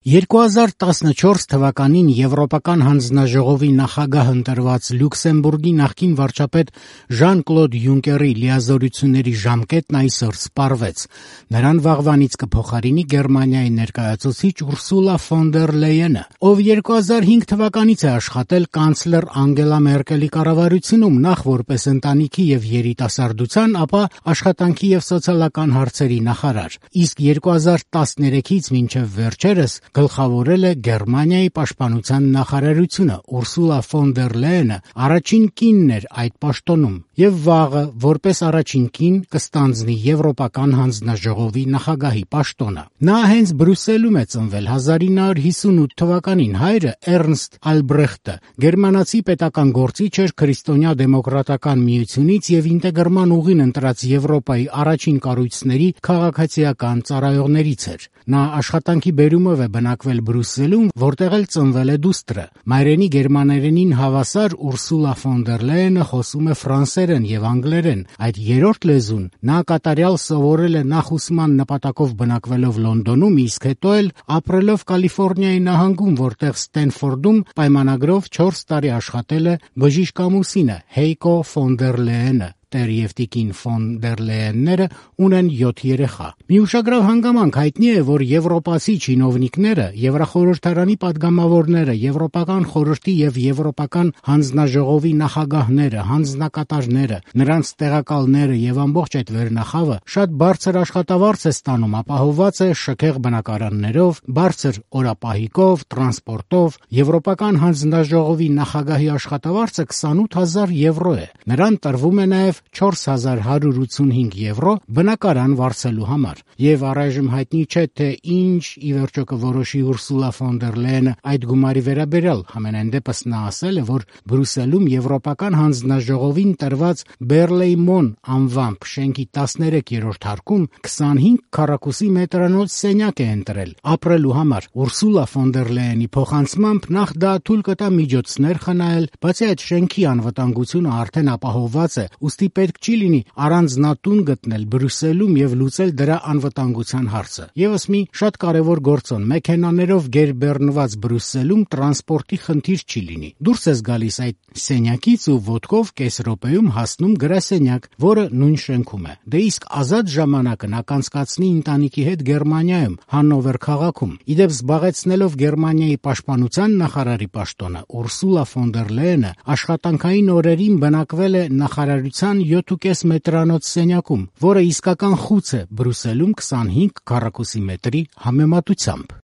2014 թվականին Եվրոպական հանձնաժողովի նախագահ ընտրված Լյուքսեմբուրգի նախկին վարչապետ Ժան-Կլոդ Յունկերի լիազորությունների ժամկետն այսօր սպառվեց։ Նրան վաղվանից կփոխարինի Գերմանիայի ներկայացուցիչ Ուրսուլա ֆոն դեր Լեյենը, ով 2005 թվականից է աշխատել կանցլեր Անգելա Մերկելի կառավարությունում նախ որպես ընտանիքի եւ երիտասարդության, ապա աշխատանքի եւ սոցիալական հարցերի նախարար, իսկ 2013-ից մինչեւ վերջերս գլխավորել է Գերմանիայի պաշտպանության նախարարությունը։ Ուրսուլա ֆոն դեր Լեյենը առաջին կինն էր այդ պաշտոնում եւ վաղը որպես առաջին կին կստանձնի Եվրոպական հանձնաժողովի նախագահի պաշտոնը։ Նա հենց Բրյուսելում է ծնվել 1958 թվականին։ Հայրը Էրնստ Ալբրեխտը գերմանացի պետական գործիչ էր քրիստոնյա դեմոկրատական միությունից եւ ինտեգրման ուղին ընտրած Եվրոպայի առաջին կառույցների քաղաքացիական ծառայողներից էր։ Նա աշխատանքի բերումով է բնակվել Բրյուսելում, որտեղ էլ ծնվել է դուստրը։ Մայրենի գերմաներենին հավասար Ուրսուլա ֆոն դեր Լեյենը խոսում է ֆրանսերեն եւ անգլերեն։ Այդ երրորդ լեզուն նա կատարյալ սովորել է նախ ուսման նպատակով բնակվելով Լոնդոնում, իսկ հետո էլ ապրելով Կալիֆոռնիայի նահանգում, որտեղ Ստենֆորդում պայմանագրով 4 տարի աշխատել է բժիշկ ամուսինը Հեյկո ֆոն դեր Լեյենը։ Տեր եւ տիկին ֆոն դեր Լեյենները ունեն 7 երեխա։ Մի ուշագրավ հանգամանք հայտնի է, որ եվրոպացի չինովնիկները, Եվրախորհրդարանի падգամավորները, Եվրոպական խորհրդի եւ Եվրոպական հանձնաժողովի նախագահները, հանձնակատարները, նրանց տեղակալները եւ ամբողջ այդ վերնախավը շատ բարձր աշխատավարձ է ստանում, ապահովված է շքեղ բնակարաններով, բարձր օրապահիկով, տրանսպորտով։ Եվրոպական հանձնաժողովի նախագահի աշխատավարձը 28000 եվրո է։ Նրան տրվում է նաեւ 4185 եվրո բնակարան վարձելու համար։ Եվ առայժմ հայտնի չէ, թե ինչ ի վերջո կորոշի Ուրսուլա ֆոն դեր Լեյենը այդ գումարի վերաբերյալ։ Համենայն դեպս նա ասել է, որ Բրյուսելում Եվրոպական հանձնաժողովին տրված Բերլեյմոն անվամբ շենքի 13-րդ հարկում 25 քառակուսի մետրանոց սենյակ է ընտրել ապրելու համար։ Ուրսուլա ֆոն դեր Լեյենի փոխանցմամբ նախ դա թույլ կտա միջոցներ խնայել, բացի այդ շենքի անվտանգությունը արդեն ապահովված է, ուստի պետք չի լինի առանձնատուն գտնել Բրյուսելում եւ լուծել դրա անվտանգության հարցը։ Եվս մի շատ կարևոր գործոն՝ մեքենաներով գերբեռնված Բրյուսելում տրանսպորտի խնդիր չի լինի։ Դուրս ես գալիս այդ սենյակից ու ոտքով կես րոպեում հասնում գրասենյակ, որը նույն շենքում է։ Դե իսկ ազատ ժամանակը նա կանցկացնի ընտանիքի հետ Գերմանիայում, Հաննովեր քաղաքում։ Իդեպ զբաղեցնելով Գերմանիայի պաշտպանության նախարարի պաշտոնը, Ուրսուլա ֆոն դեր Լեյենը աշխատանքային օրերին բնակվել է նախարարության 7.5 մետրանոց սենյակում, որը իսկական խուց է Բրյուսելում 25 քառակուսի մետրի համեմատությամբ։